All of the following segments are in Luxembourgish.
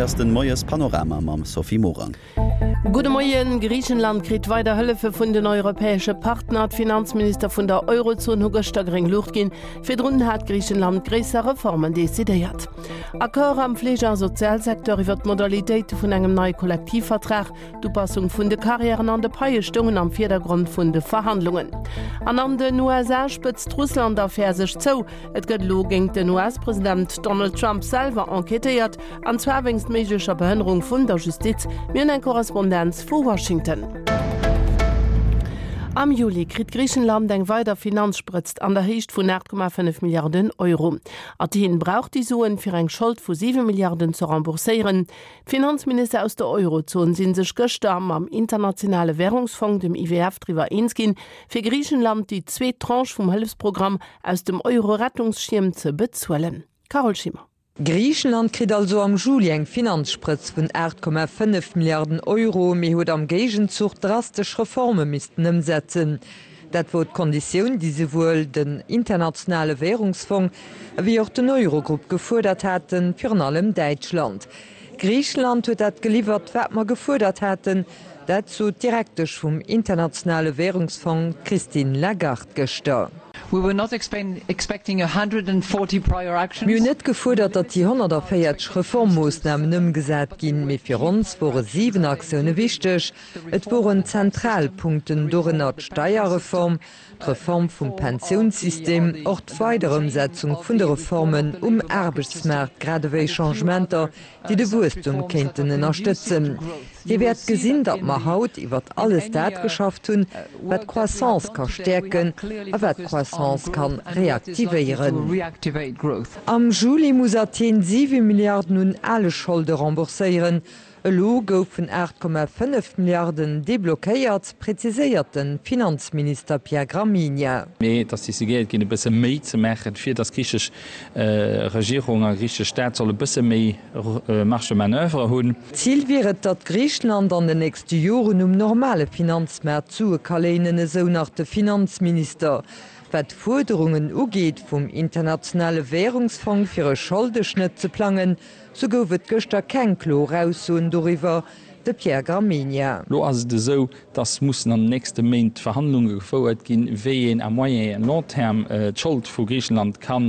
Hei ass den Moies Panorama mam Sophie Morang. Gudde Moien, Griichenland kritt weider Hëllefe vun den europäesche Partner. D'Finanzminister vun der Eurozon hu gëschter gréng Luucht ginn. Virdrun hat Griichenland gréisser Reformen decidéiert. Accord am Fleege a Sozialsecteur iwwer d'Modalitéite vun engem neie Kollektivvertrag. D'Upassung vun de Karriären an de Paie stoungen am Virdergrond vun de Verhandlungen. An an den USA spëtzt d'Russland-Affär sech zou. Et gëtt elo géint den US-President Donald Trump selwer enquêtéiert, an zwar wéinst méiglecher Behënnerung vun der Justiz. Mir hunn eng Korrespondenz vu Washington. Am Juli kritt Griichenland eng weider Finanzsprëtzt an der Héicht vun 8,5 Milliarden Euro. Athen brauch déi Suen, fir eng Schold vu 7 Milliarden ze rembourséieren. D'Finanzminister aus der Eurozon si sech gëschter mam Internationale Wärungsfong, dem IWF, driwwer eens ginn, fir Griichenland déi zweet Tranche vum Hëllefsprogramm aus dem Euro-Rettungsschierm ze bezuelen. Carole Schimmer. Griichenland kritt also am Juli eng Finanzsprëtz vun 8,5 Milliarden Euro, mee huet am Géigenzuch drastesch Reforme missten ëmsetzen. Dat wor d'Konditioun, déi souwuel den Internationale Währungsfong ewéi och den Eurogrupp gefuerdert haten, virun allem Däitschland. Griichenland huet dat geliwwert, wat mer gefuerdert haten. Dat sot d'Direktesch vum Internationale Währungsfong, d'Christine Lagarde, gëschter. We were not expecting 140 prior actions. Mir hunn net gefuerdert, datt déi 140 Reformmoossnamen ëmgesat ginn, mee fir ons wore 7 Aktioune wichteg, Et woren zentral Punkten, dorënner d'Steierreform, d'Reform vum Pensiounssystem, och d'Weiderëmsetzung vun de Reformen um Aarbechtsmaart grad ewéi Changementer, déi de Wuesstum kéinten ënnerstëtzen. Dir wäert gesinn, datt mer haut iwwert alles dat geschafft hunn, wat d'Croissance ka stäerken a wat d'Croissance ka reaktivéieren. Am Juli muss Athen 7 Milliarden un ale Scholde rembourséieren. Elo goufen 8,5 Milliarden deblockéiert, präziséiert de Finanzminister Pierre Gramegna. Mee et ass decidéiert ginn, e bësse méi ze maachen, fir datt d'griichesch Regierung a griichesch Staat soll e bësse méi Marge de manoeuvre hunn. Zil wier et, datt Griichenland an den nächste Joren um normale Finanzmaart Sue ka léinen, esou nach de Finanzminister. Wat d'Fuerderungen ugeet vum Internationale Wärungsfong fir e Scholdeschnëtt ze plangen, Sou gouf et gëschter keng kloer Aussoen doriwwer, de Pierre Gramegna. Lo ass et esou, datt mussen an den nächste Méint Verhandlunge gefouert ginn, wéi een à moyen et long terme d'Schold vu Griichenland ka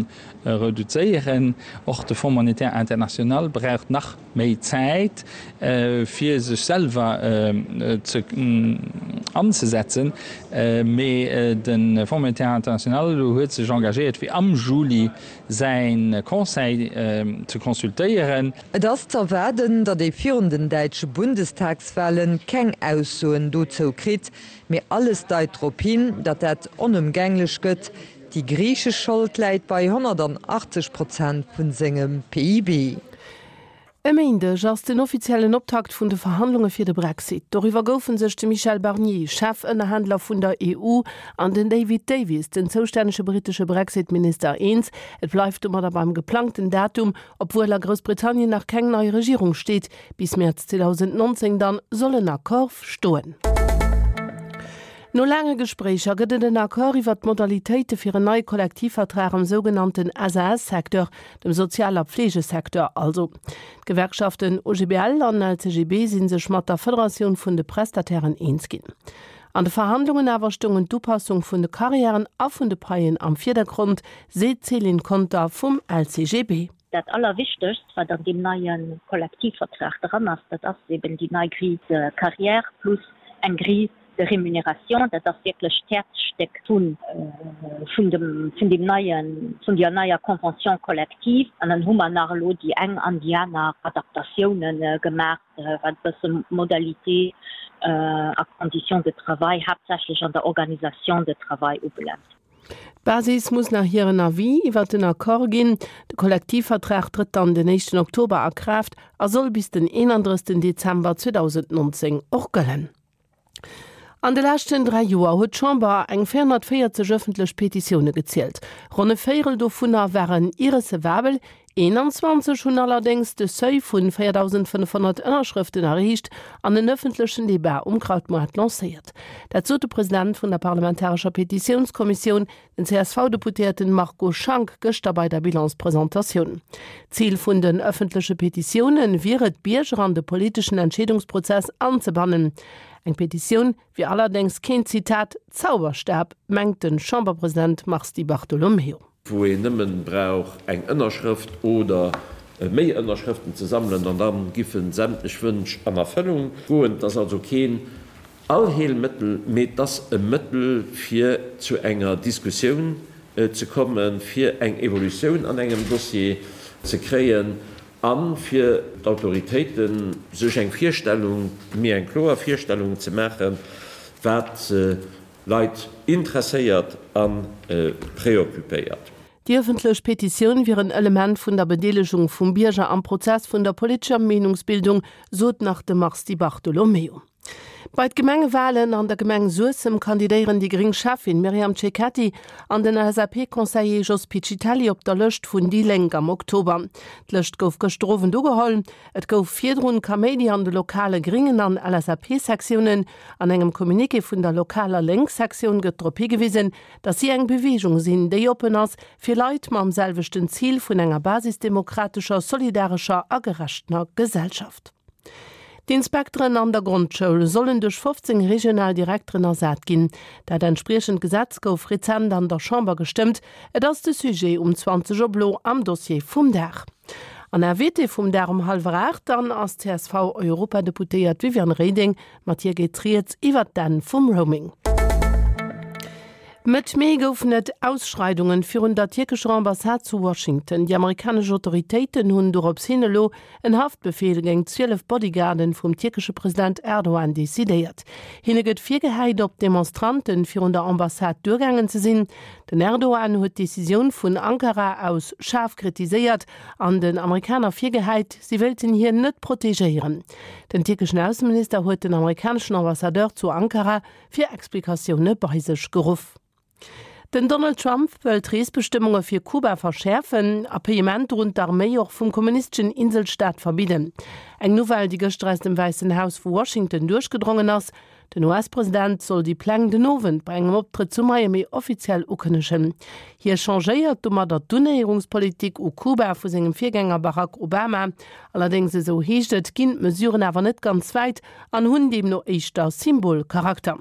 reduzéieren. Och de Fonds monétaire international braucht nach méi Zäit, fir sech selwer ze anzesetzen. Mee de Fonds monétaire international huet sech engagéiert, fir am Juli säin Conseil ze consultéieren. Et ass z'erwaarden, datt ee virun den däitsche Bundestagswahlen keng Aussoen dozou kritt, mee alles deit drop hin, datt dat onëmgänglech gëtt. Déi griichesch Schold läit bei 180 Prozent vun sengem PIB. E Méindeg ass den offiziellen Optakt vun de Verhandlunge fir de Brexit. Doriwwer goufe sech de Michel Barnier, Chefënnerhändler vun der EU, an den David Davis, den zoustännege brittesche Brexit-Minister, eens. Et bleift domadder beim geplangten Datum, obwuel a Groussbritannien nach keng nei Regierung steet. Bis Mäerz 2019 dann soll en Accord stoen. No laange Gespréicher gëtt et en Accord iwwert d'Modalitéite fir en neie Kollektivvertrag am sougenannten SAS-Secteur, dem Sozial a Pflegesecteur also. D'Gewerkschaften OGBL an LCGB si sech mat der Federatioun vun de Prestatairen eens ginn. An de Verhandlungen awer stoungen d'Upassung vun de Karriären a vun de Paien am Virdergrond, seet d'Céline Conter vum LCGB. Dat Allerwichtegst, wat an deem neie Kollektivvertrag dran ass, dat ass eben déi nei Grille de carrière plus eng Grille de rémunération, dat ass wierklech d'Häerzstéck vun vun dem vun deem neien, vun deer neier Convention collective. An dann hu mer nach elo déi eng an déi aner Adaptatiounen gemaach, wat e bësse Modalités a Conditions de travail, haaptsächlech an der Organisation de travail ubelaangt. D'Basis muss nach hiren Avis iwwert den Accord ginn. De Kollektivvertrag trëtt dann den éischten Oktober a Kraaft a soll bis den 31 Dezember 2019 och gëllen. An de leschten 3 Joer huet d'Chamber eng 440 ëffentlech Petitioune gezielt. Ronn e Véierel dovunner waren irrecevabel. 21 hunn allerdéngs de Seuil vun 4.500 Ënnerschrëften erreecht an en ëffentlechen Debat um Krautmoart lancéiert. Dat sot de President vun der parlamentarescher Petitiounskommissioun, den CSV-Deputéierten Marco Schank, gëschter bei der Bilanspresentatioun. Zil vun den ëffentleche Petitioune wier et, d'Bierger an de politeschen Entscheedungsprozess anzebannen. Eng Petitioun wier allerdéngs keen, Zitat, Zauberstab, mengt de Chamberpresident Mars Di Bartolomeo. Wou een nëmmen brauch eng Ënnerschrëft oder méi Ënnerschrëften ze sammelen an dann giffen sämtlech Wënsch an Erfëllung goen. Et ass also keen Allheelmëttel, mee et ass e Mëttel fir zu enger Diskussioun ze kommen, fir eng Evolutioun an engem Dossier ze kréien a fir d'Autoritéite sech eng Virstellung, méi eng kloer Virstellung ze maachen, wat Leit interesséiert a preoccupéiert. Déi ëffentlech Petitioun wier en Element vun der Bedeelegung vum Bierger am Prozess vun der politescher Meenungsbildung, sot nach de Mars Di Bartolomeo. Bei d'Gemengewalen an der Gemeng Suessem kandidéieren déi gréng Schäffin Myriam Cecchetti an den LSAP-Conseiller Jos Piccitelli op der Lëscht vun déi Lénk am Oktober. D'Lëscht gouf gëschter Owend ugeholl. Et gouf virdrun Kaméidi an de lokale Gringen an LSAP-Sektiounen. An engem Communiqué vun der lokaler Lénk-Sektioun gëtt drop higewisen, datt si eng Beweegung sinn, déi oppen ass fir Leit mam selwechten Zil vun enger basisdemokratescher, solidarescher a gerechter Gesellschaft. D'Inspekteren an der Grondschoul sollen duerch 15 regional Direkteren ersat ginn. Dat entspriechend Gesetz gouf rezent an der Chamber gestëmmt. Et ass de Sujet um 20 op elo am Dossier vum Dag. An Invité vum Dag um hallwer 8 dann ass d'CSV-Europadeputéiert Viviane Reding. Mat hir geet rieds iwwert d'Enn vum Roaming. Mëtt Mee goufen et Ausschreidungen virun der tierkescher Ambassade zu Washington. Déi amerikanesch Autoritéiten hunn dorops hin elo en Haftbefeel géint 12 Bodyguarden vum tierkesche President Erdogan decidéiert. Hinne gëtt virgehäit, op d'Demonstranten virun der Ambassade duergaangen ze sinn. Den Erdogan huet d'Decisioun vun Ankara aus schaarf kritiséiert an den Amerikaner virgehäit, si wéilten hien net protegéieren. Den tierkeschen Ausseminister huet den amerikaneschen Ambassadeur zu Ankara fir Explikatioune bei sech geruff. Den Donald Trump wëll d'Reesbestëmmunge fir Kuba verschäerfen a Payementer un d'Arméi och vum kommunisteschen Inselstaat verbidden. Eng Nouvelle, déi gëschter aus dem Wäissen Haus vu Washington duerchgedrongen ass. Den US-President soll déi Pläng den Owend bei engem Optrëtt zu Miami offiziell ukënnegen. Hie changéiert domadder d'Unéierungspolitik u Kuba vu sengem Virgänger Barack Obama. Allerdéngs, esou heescht et, ginn d'Mesuren awer net ganz wäit an hunn deemno éischter Symbolcharakter.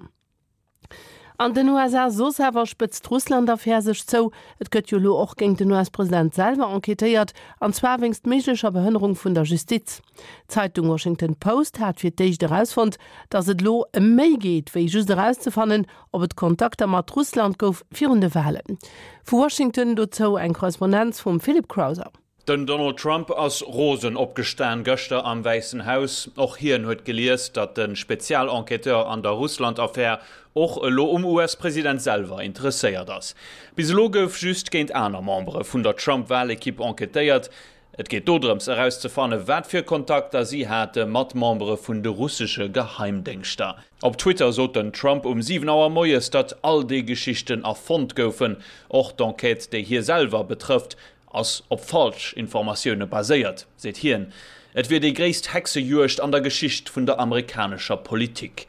An den USA soss awer spëtzt d'Russland-Affär sech zou. Et gëtt jo elo och géint den US-President selwer enquêtéiert, an zwar wéinst méiglecher Behënnerung vun der Justiz. D'Zeitung Washington Post hat fir d'éischt erausfonnt, datt et elo ëm méi geet, wéi just erauszefannen, ob et Kontakter mat Russland gouf virun de Walen. Vu Washington dozou eng Korrespondenz vum Philip Crowther. Den Donald Trump ass rosen opgestan gëschter am Wäissen Haus. Och hien huet gelies, datt de Spezialenquêteur an der Russland-Affär och elo um US-President selwer interesséiert ass. Bis elo gouf just géint aner Membere vun der Trump-Walekipp enquêtéiert. Et geet dodrëms erauszefanne wat fir Kontakter si hate mat Membere vun de russesche Geheimdéngschter. Op Twitter sot den Trump um 7 Auer moies, datt all déi Geschichten erfonnt goufen, och d'Enquête déi hie selwer betrëfft. Ass op falsch Informatioune baséiert, seet hien. Et wier déi gréisst Hexejuegd an der Geschicht vun der amerikanescher Politik.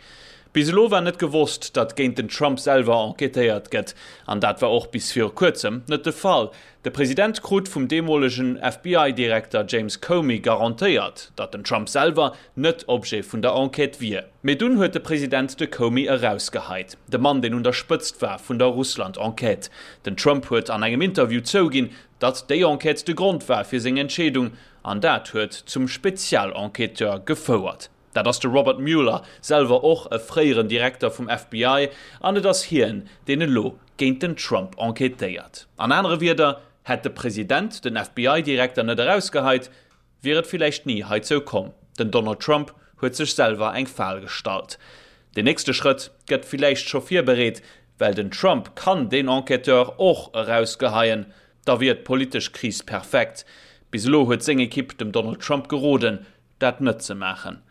Bis elo war net gewosst, datt géint den Trump selwer enquêtéiert gëtt. An dat war och bis viru kuerzem net de Fall. De President krut vum deemolegen FBI-Direkter James Comey garantéiert, datt den Trump selwer net Objet vun der Enquête wier. Mee dunn huet de President de Comey erausgeheit, de Mann deen un der Spëtzt war vun der Russland-Enquête. Den Trump huet an engem Interview zouginn, datt déi Enquête de Grond war fir seng Entscheedung, an dat huet zum Spezialenquêteur gefouert. Dat ass de Robert Mueller, selwer och e fréieren Direkter vum FBI, an et ass hien, deen elo géint den Trump enquêtéiert. An anere Wierder, hätt de President den FBI-Direkter net erausgeheit, wier et villäicht ni heizou komm. Den Donald Trump huet sech selwer eng Fal gestallt. Den nächste Schrëtt gëtt villäicht scho virbereet, well den Trump kann deen Enquêteur och erausgeheien. Da wier d'politesch Kris perfekt. Bis elo huet seng Ekipp dem Donald Trump geroden, dat net ze maachen.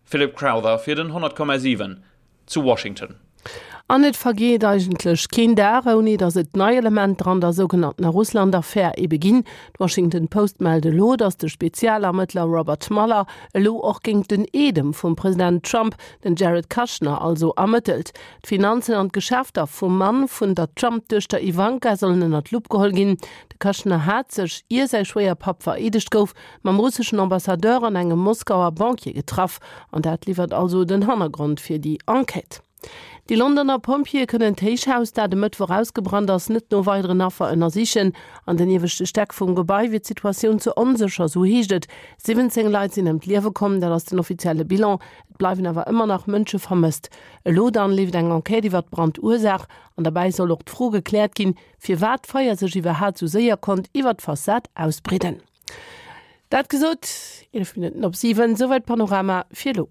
Philip Crowther fir den 100,7 zu Washington. An et vergeet eigentlech keen Dag, ouni datt et nei Elementer an der sougenanntener Russland-Affär ebe ginn. D'Washington Post mellt elo, datt de Spezialermëttler Robert Mueller elo och géint den Eedem vum President Trump, den Jared Kushner also, ermëttelt. D'Finanzen an d'Geschäfter vum Mann vun der Trump-Duechter Ivanka sollen ënner d'Lupp geholl ginn. De Kushner hat sech, ier säi Schwéierpapp vereedegt gouf, mam russeschen Ambassadeur an engem Moskauer Banquier getraff. An dat liwwert also den Hannergrond fir déi Enquête. Déi Londoner Pompjeeë kënnen d'Héichhaus, dat e Mëttwoch ausgebrannt ass, net no weideren Affer ënnersichen. An den ieweschte Stäck vum Gebai wier d'Situatioun ze onsécher, sou heescht et. 17 Leit sinn ëm d'Liewe komm, dat ass den offizielle Bilan. Et bleiwen awer ëmmer nach Mënsche vermësst. Elo dann leeft eng Enquête iwwer d'Brandursaach an derbäi soll och d'Fro gekläert ginn, firwat d'Feier sech iwwerhat sou séier konnt iwwer d'Fassad ausbreeden. Dat gesot, 11 Minutten op 7, souwäit Panorama fir elo.